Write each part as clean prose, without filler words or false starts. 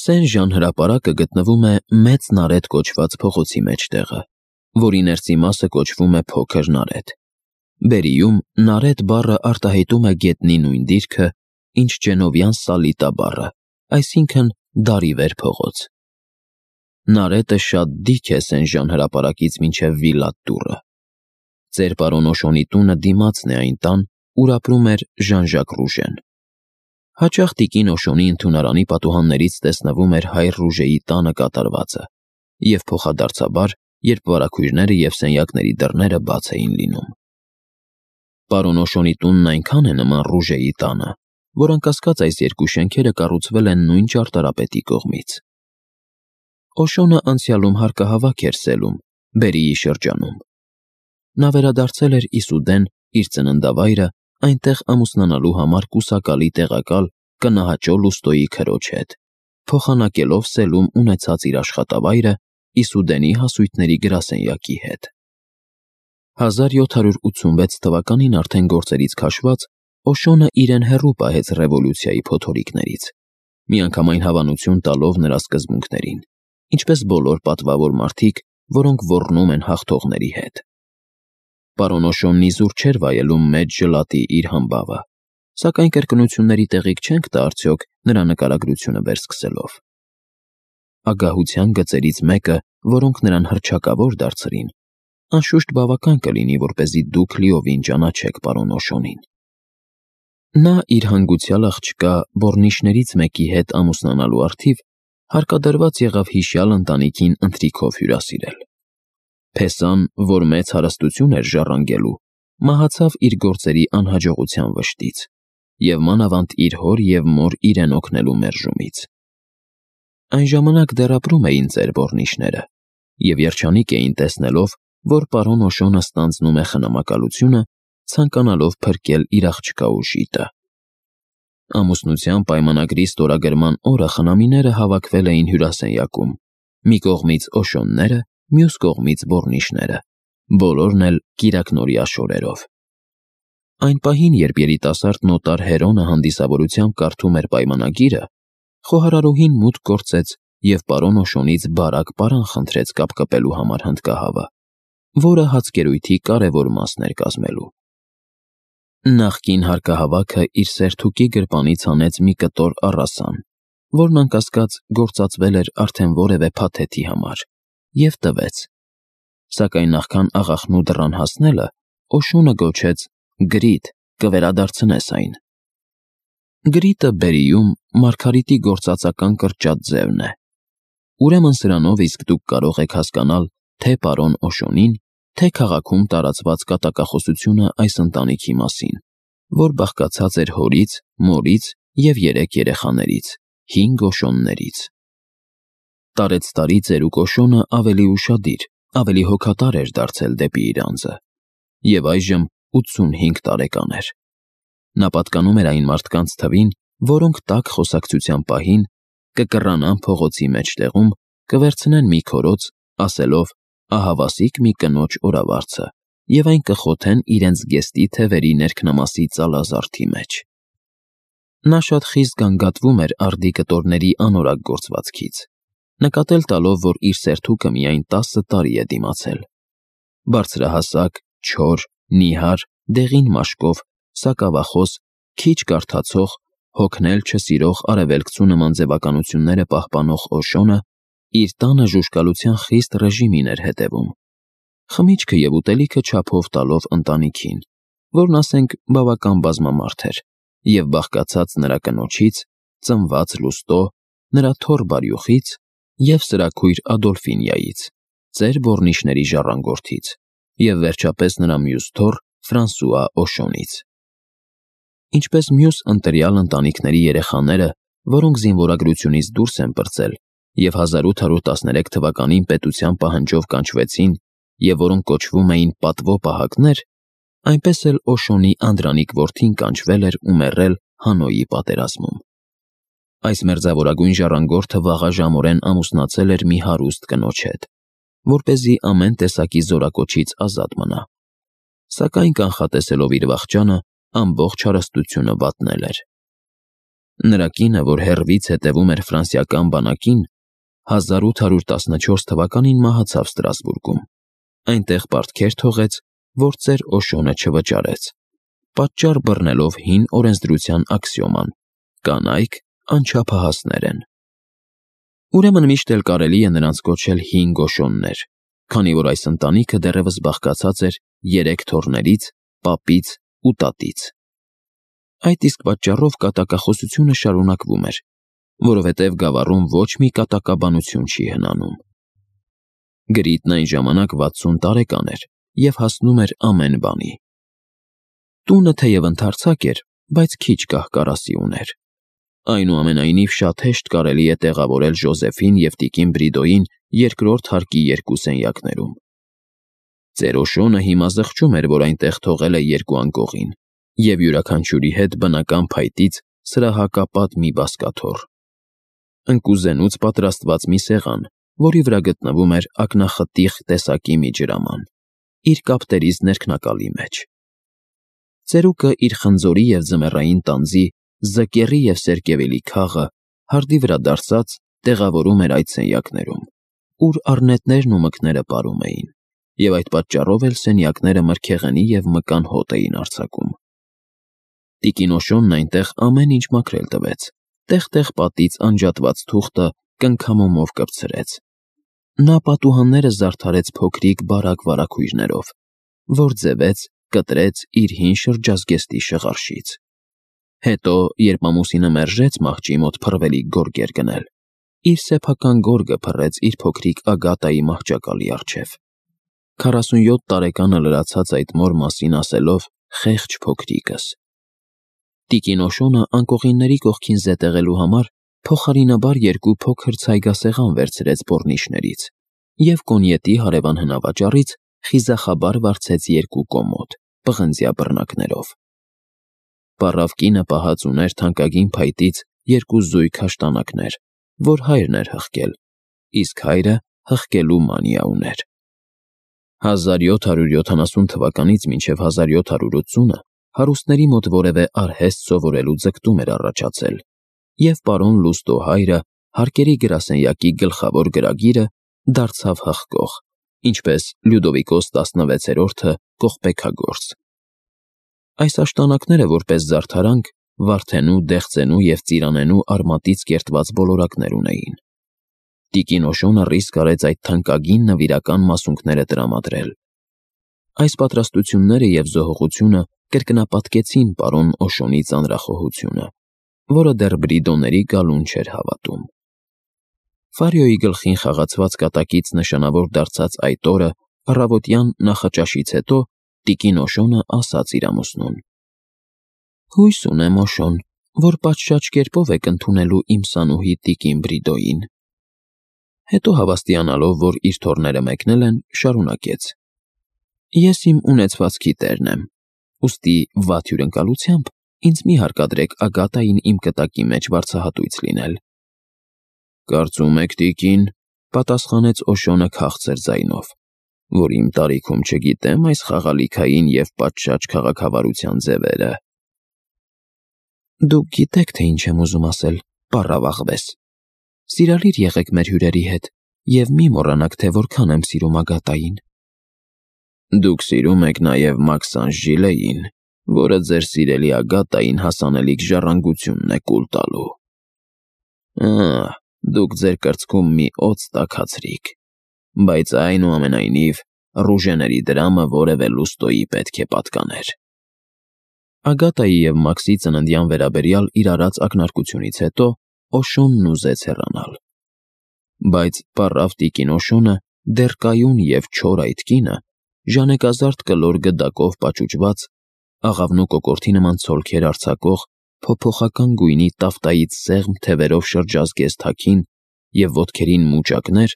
Սեն-Ժան հրապարակը գտնվում է Մեծ Նարետ կոչված փողոցի մեջտեղը, որի ներսի մասը կոչվում է Փոքր Նարետ։ Բերիում Նարետ բառը արտահայտում է գետնի նույն դիրքը, ինչ ջենովյան Սալիտա բառը, այսինքն դարիվեր փողոց։ Նարետը շատ դիք է Սեն-Ժան հրապարակից մինչև Վիլատ դուռը։ Ծեր պարոն Օշոնի տունը դիմացն է այն տան, ուր ապրում էր Ժան-Ժակ Ռուժեն։ Հաճախ տիկին Օշոնի ընդունարանի պատուհաններից տեսնվում էր հայր Ռուժեի տանը կատարվածը, և փոխադարձաբար, երբ վարագույրները և սենյակների դռները բաց էին լինում։ Պարոն Օշոնի տունն այնքան է նման Ռուժեի տանը, որ անկասկած այս երկու շենքերը կառուցվել են նույն ճարտարապետի կողմից։ Օշոնը անցյալում հարկահավաք էր սելում, Բերիի շրջանում։ Նա վերադարձել էր Իսուդեն, իր ծննդավայրը, այնտեղ ամուսնանալու համար կուսակալի տեղակալ կնահաճո Լուստոյի քրոջ հետ, փոխանակելով սելում ունեցած իր աշխատավայրը Իսուդենի հասույթների գրասենյակի հետ։ 1786 թվականին արդեն գործերից քաշված, Օշոնը իրեն հեռու պահեց ռևոլյուցիայի փոթորիկներից, միանգամայն հավանություն տալով նրա սկզբունքներին, ինչպես բոլոր պատվավոր մարդիկ, որոնք ոռնում են հաղթողների հետ։ Պարոն Օշոնն իզուր չէր վայելում մեծ ժլատի իր համբավը, սակայն կրկնությունների տեղիք չենք տա արդյոք նրա նկարագրությունը վերսկսելով։ Ագահության գծերից մեկը, որոնք նրան հռչակավոր դարձրին, անշուշտ բավական կլինի, որպեսզի դուք լիովին ճանաչեք պարոն Օշոնին։ Նա իր հանգուցյալ աղջկա բոռնիչներից մեկի հետ ամուսնանալու առթիվ հարկադրված եղավ հիշյալ ընտանիքին ընթրիքով հյուրասիրել։ Փեսան, որ մեծ հարստություն էր ժառանգելու, մահացավ իր գործերի անհաջողության վշտից և մանավանդ իր հոր և մոր իրեն օգնելու մերժումից։ Այն ժամանակ դեռ ապրում էին ծեր բոռնիչները և երջանիկ էին տեսնելով, որ պարոն Օշոնը ստանձնում է խնամակալությունը, ցանկանալով փրկել իր աղջկա ուժիտը։ Ամուսնության պայմանագրի ստորագրման օրը խնամիները հավաքվել էին հյուրասենյակում, մի կողմից Օշոնները, մյուս կողմից բոռնիչները, բոլորն էլ կիրակնօրյա շորերով։ Այն պահին, երբ երիտասարդ նոտար Հերոնը հանդիսավորությամբ կարդում էր պայմանագիրը, խոհարարուհին մուտք գործեց և պարոն Օշոնից բարակ պարան խնդրեց կապկպելու համար հնդկահավը, որը հացկերույթի կարևոր մասն էր կազմելու։ Նախկին հարկահավաքը իր սերթուկի գրպանից հանեց մի կտոր առասան, որն անկասկած գործածվել էր արդեն որևէ փաթեթի համար, և տվեց։ Սակայն նախքան աղախնու դռան հասնելը, Օշոնը գոչեց. «Գրիտ, կվերադարձնես այն»։ Գրիտը Բերիում Մարգարիտի գործածական կրճատ ձևն է։ Ուրեմն սրանով իսկ դուք կարող եք հասկանալ թե պարոն Օշոնին, թե քաղաքում տարածված կատակախոսությունը այս ընտանիքի մասին, որ բաղկացած էր հորից, մորից և 3 երեխաներից, 5 Օշոններից։ Տարեցտարի ծերուկ Օշոնը ավելի ուշադիր, ավելի հոգատար էր դարձել դեպի իր անձը, և այժմ 85 տարեկան էր։ Նա պատկանում էր այն մարդկանց թվին, որոնք տաք խոսակցության պահին կկռանան փողոցի մեջտեղում, կվերցնեն մի քորոց, ասելով ահավասիկ մի կնոջ օրավարձը, և այն կխոթեն իրենց զգեստի թևերի ներքնամասի ծալազարդի մեջ։ Նա շատ խիստ գանգատվում էր արդի կտորների անորակ գործվածքից, նկատել տալով, որ իր սերթուկը միայն 10 տարի է դիմացել։ Բարձրահասակ, չոր, նիհար, դեղին մաշկով, սակավախոս, քիչ կարդացող, հոգնել չսիրող արևելքցու նման ձևականությունները պահպանող Օշոնը իր տանը ժուժկալության խիստ ռեժիմին էր հետևում, խմիչքը և ուտելիքը չափով տալով ընտանիքին, որն ասենք բավական բազմամարդ էր, և բաղկացած նրա կնոջից, ծնված Լուստո, նրա թոռ Բարյուխից և սրաքույր Ադոլֆինիայից, ծեր բոռնիչների ժառանգորդից, և վերջապես նրա մյուս թոռ Ֆրանսուଆ Օշոնից։ Ինչպես մյուս ընտրյալ ընտանիքների երեխաները, որոնք զինվորագրությունից դուրս են պրծել և 1813 թվականին պետության պահանջով կանչվեցին և որոնք կոչվում էին պատվո պահակներ, այնպես էլ Օշոնի անդրանիկ որդին կանչվել էր ու մեռել Հանոյի պատերազմում։ Այս մերձավորագույն ժառանգորդը վաղաժամորեն ամուսնացել էր մի հարուստ կնոջ հետ, որպեսզի ամեն տեսակի զորակոչից ազատ մնա, սակայն կանխատեսելով իր վախճանը, ամբողջ հարստությունը վատնել էր։ Նրա կինը, որ հեռվից հետևում էր ֆրանսիական բանակին, 1814 թվականին մահացավ Ստրասբուրգում։ Այնտեղ պարտքեր թողեց, որ ծեր Օշոնը չվճարեց, պատճառ բռնելով հին օրենսդրության աքսիոման. կանայք անչափահասներ են։ Ուրեմն միշտ էլ կարելի է նրանց կոչել հին Օշոններ, քանի որ այս ընտանիքը դեռևս բաղկացած էր 3 թոռներից, պապից ու տատից։ Այդ իսկ պատճառով կատակախոսությունը շարունակվում էր, որովհետև գավառում ոչ մի կատակաբանություն չի հնանում։ Գրիտն այն ժամանակ 60 տարեկան էր և հասնում էր ամեն բանի։ Տունը թեև ընդարձակ էր, բայց քիչ կահ-կարասի ուներ։ Այնուամենայնիվ շատ հեշտ կարելի է տեղավորել Ժոզեֆին և տիկին Բրիդոյին երկրորդ հարկի 2 սենյակներում։ Ծեր Օշոնը հիմա զղջում էր, որ այնտեղ թողել է 2 անկողին և յուրաքանչյուրի հետ բնական փայտից սրահակապատ մի բազկաթոռ։ Ընկուզենուց պատրաստված մի սեղան, որի վրա գտնվում էր ակնախտիղ տեսակի մի ջրաման, իր կապտերից ներքնակալի մեջ։ Ծերուկը իր խնձորի և ձմեռային տանձի, զկերի և սերկևիլի քաղը հարդի վրա դարսած տեղավորում էր այդ սենյակներում, ուր առնետներն ու մկները պարում էին, և այդ պատճառով էլ սենյակները մրգեղենի և մկան հոտ էին արձակում։ Տիկին Օշոնն այնտեղ ամեն ինչ մաքրել տվեց, տեղ-տեղ պատից անջատված թուղթը կնքամոմով կպցրեց։ Նա պատուհանները զարդարեց փոքրիկ բարակ վարագույրներով, որ ձևեց, կտրեց իր հին շրջազգեստի շղարշից։ Հետո, երբ ամուսինը մերժեց մահճի մոտ փռվելիք գորգեր գնել, իր սեփական գորգը փռեց իր փոքրիկ Ագատայի մահճակալի առջև։ 47 տարեկանը լրացած այդ մոր մասին ասելով. «խեղճ փոքրիկս»։ Տիկին Օշոնը անկողինների կողքին զետեղելու համար փոխարինաբար 2 փոքր ցայգասեղան վերցրեց բոռնիչներից և կոնյետի հարևան հնավաճառից խիզախաբար վարձեց 2 կոմոդ, պղնձյա բռնակներով։ Պառավ կինը պահած ուներ թանկագին փայտից 2 զույգ հաշտանակներ, որ հայրն էր հղկել, իսկ հայրը հղկելու մանիա ուներ։ 1770 թվականից մինչև 1780-ը հարուստների մոտ որևէ արհեստ սովորելու ձգտում էր առաջացել, և պարոն Լուստո հայրը հարկերի գրասենյակի գլխավոր գրագիրը դարձավ հղկող, ինչպես Լյուդովիկոս 16-րդը կողպեքագործ։ Այս աշտանակները որպես զարդարանք Վարդենու, Դեղձենու և Ծիրանենու արմատից կերտված բոլորակներ ունեին։ Տիկին Օշոնը ռիսկ արեց այդ թանկագին նվիրական մասունքները տրամադրել։ Այս պատրաստությունները և զոհողությունը կրկնապատկեցին պարոն Օշոնի ծանրախոհությունը, որը դեռ Բրիդոների գալուն չէր հավատում։ Ֆարիոյի գլխին խաղացված կատակից նշանավոր դարձած այդ օրը առավոտյան նախաճաշից հետո տիկին Օշոնը ասաց իր ամուսնուն. «Հույս ունեմ, Օշոն, որ պատշաճ կերպով եք ընդունելու իմ սանուհի տիկին Բրիդոյին»։ Հետո հավաստիանալով, որ իր թոռները մեկնել են, շարունակեց. «Ես իմ ունեցվածքի տերն եմ, ուստի վատ հյուրընկալությամբ ինձ մի հարկադրեք Ագատային իմ կտակի մեջ վարձահատույց լինել»։ «Կարծում եք, տիկին», պատասխանեց Օշոնը քաղցր ձայնով, «որ իմ տարիքում չգիտեմ այս խաղալիքային և պատշաճ քաղաքավարության ձևերը»։ Դուք գիտեք, թե ինչ եմ ուզում ասել, պառավ աղվես։ Սիրալիր եղեք մեր հյուրերի հետ և մի մոռանաք, թե որքան եմ սիրում Ագատային։ Դուք սիրում եք նաև Մաքսանժ Ժիլեին, որը ձեր սիրելի Ագատային հասանելիք ժառանգությունն է կուլ տալու։ Դուք ձեր կրծքում մի օձ տաքացրիք, բայց այնուամենայնիվ ռուժեների դրամը որևէ Լուստոյի պետք է պատկաներ։ Ագատայի և Մաքսի ծննդյան վերաբերյալ իր արած ակնարկությունից հետո Օշոնն ուզեց հեռանալ։ Բայց պառավ տիկին Օշոնը, դեռ կայուն և չոր այդ կինը, ժանեկազարդ կլոր գդակով պաճուճված, աղավնու կոկորդի նման ցոլքեր արձակող, փոփոխական գույնի տավտայից սեղմ թևերով շրջազգեստ հագին և ոտքերին մուճակներ,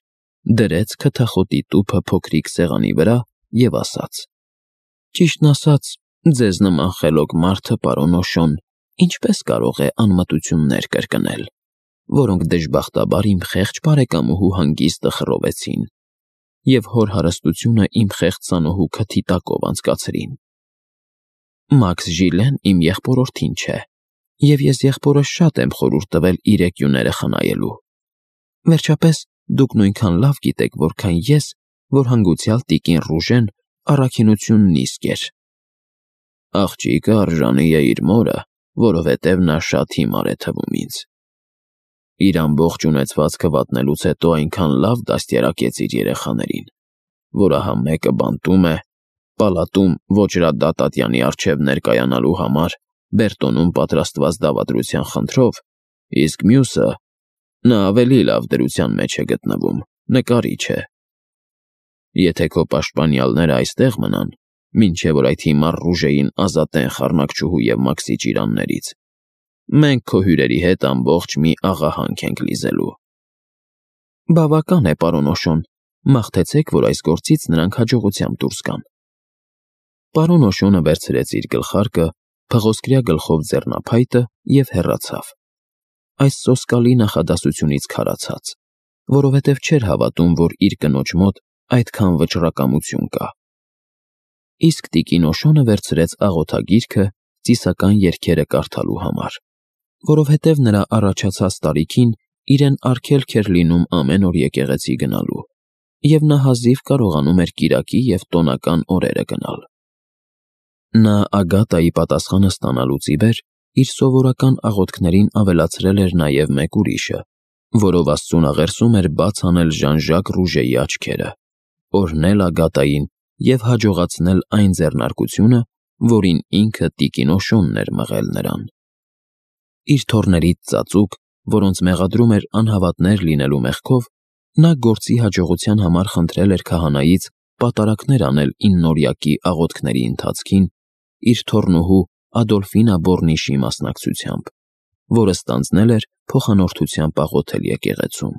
դրեց քթախոտի տուփը փոքրիկ սեղանի վրա և ասաց. «Ճիշտն ասած, ձեզ նման խելոք մարդը, պարոն Օշոն, ինչպես կարող է անմտություններ կրկնել, որոնք դժբախտաբար իմ խեղճ բարեկամուհու հանգիստը խռովեցին և հոր հարստությունը իմ խեղճ սանուհու քթի տակով անցկացրին։ Մաքս Ժիլեն իմ եղբորորդին չէ, Եվ ես եղբորս շատ եմ խորհուրդ տվել իր եկյուները խնայելու։ Վերջապես, դուք նույնքան լավ գիտեք, որքան ես, որ հանգուցյալ տիկին Ռուժեն առաքինությունն իսկ էր։ Աղջիկը արժանի է իր մորը, որովհետև նա շատ հիմար է թվում ինձ։ Իր ամբողջ ունեցվածքը վատնելուց հետո այնքան լավ դաստիարակեց իր երեխաներին, որ ահա մեկը բանտում է, պալատում Ոճրադատատյանի առջև ներկայանալու համար Բերտոնում պատրաստված դավադրության խնդրով, իսկ մյուսը, նա ավելի լավ դրության մեջ է գտնվում, նկարիչ է։ Եթե քո պաշտպանյալները այստեղ մնան, մինչև որ այդ հիմար Ռուժեին ազատեն խառնակչուհու և Մաքսի ճիրաններից, մենք քո հյուրերի հետ ամբողջ մի աղահանք ենք լիզելու։ Բավական է, պարոն Օշոն, մաղթեցեք, որ այս գործից նրանք հաջողությամբ դուրս գան։ Պարոն Օշոնը վերցրեց իր գլխարկը, փղոսկրյա գլխով ձեռնափայտը և հեռացավ, այս սոսկալի նախադասությունից քարացած, որովհետև չէր հավատում, որ իր կնոջ մոտ այդքան վճռակամություն կա։ Իսկ տիկին Օշոնը վերցրեց աղոթագիրքը ծիսական երգերը կարդալու համար, որովհետև նրա առաջացած տարիքին իրեն արգելք էր լինում ամեն օր եկեղեցի գնալու, և նա հազիվ կարողանում էր կիրակի և տոնական օրերը գնալ։ Նա Ագատայի պատասխանը ստանալուց ի վեր իր սովորական աղոթքներին ավելացրել էր նաև մեկ ուրիշը, որով Աստծուն աղերսում էր բաց անել Ժան-Ժակ Ռուժեի աչքերը, օրհնել Ագատային և հաջողացնել այն ձեռնարկությունը, որին ինքը տիկին Օշոնն էր մղել նրան։ Իր թոռներից ծածուկ, որոնց մեղադրում էր անհավատներ լինելու մեղքով, նա գործի հաջողության համար խնդրել էր քահանայից պատարակներ անել 9-օրյակի աղոթքների ընթացքին իր թոռնուհու Ադոլֆինա Բորնիշի մասնակցությամբ, որը ստանձնել էր փոխանորդությամբ աղոթել եկեղեցում։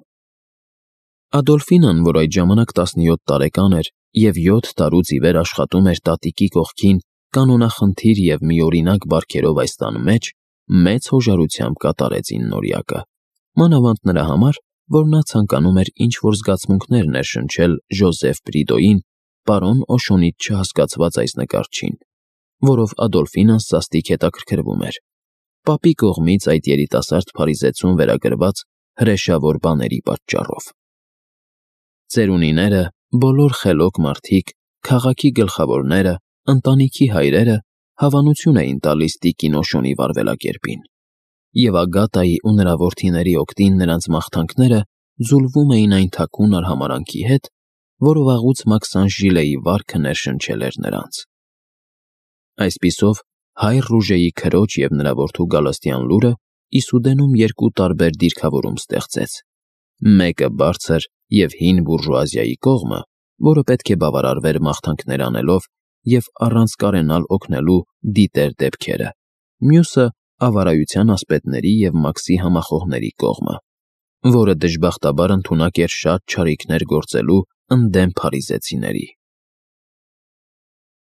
Ադոլֆինան, որ այդ ժամանակ 17 տարեկան էր և 7 տարուց ի վեր աշխատում էր տատիկի կողքին կանոնախնդիր և միօրինակ բարքերով այս տան մեջ, մեծ հոժարությամբ կատարեց 9-օրյակը, մանավանդ նրա համար, որ նա ցանկանում էր ինչ-որ զգացմունքներ ներշնչել Ժոզեֆ Բրիդոյին, պարոն Օշոնից չհասկացված այս նկարչին, որով Ադոլֆինան սաստիկ հետաքրքրվում էր, պապի կողմից այդ երիտասարդ փարիզեցուն վերագրված հրեշավոր բաների պատճառով։ Ծերունիները, բոլոր խելոք մարդիկ, քաղաքի գլխավորները, ընտանիքի հայրերը հավանություն էին տալիս տիկին Օշոնի վարվելակերպին, և Ագատայի ու նրա որդիների օգտին նրանց մաղթանքները ձուլվում էին այն թաքուն արհամարանքի հետ, որ վաղուց Մաքսան Ժիլեի վարքը ներշնչել էր նրանց։ Այսպիսով, հայր Ռուժեի քրոջ և նրա որդու Գալստյան լուրը Իսուդենում երկու տարբեր դիրքավորում ստեղծեց. մեկը բարձր և հին բուրժուազիայի կողմը, որը պետք է բավարարվեր մաղթանքներ անելով և առանց կարենալ օգնելու դիտեր դեպքերը, մյուսը ավարայության ասպետների և Մաքսի համախոհների կողմը, որը դժբախտաբար ընդունակ էր շատ չարիքներ գործելու ընդդեմ փարիզեցիների։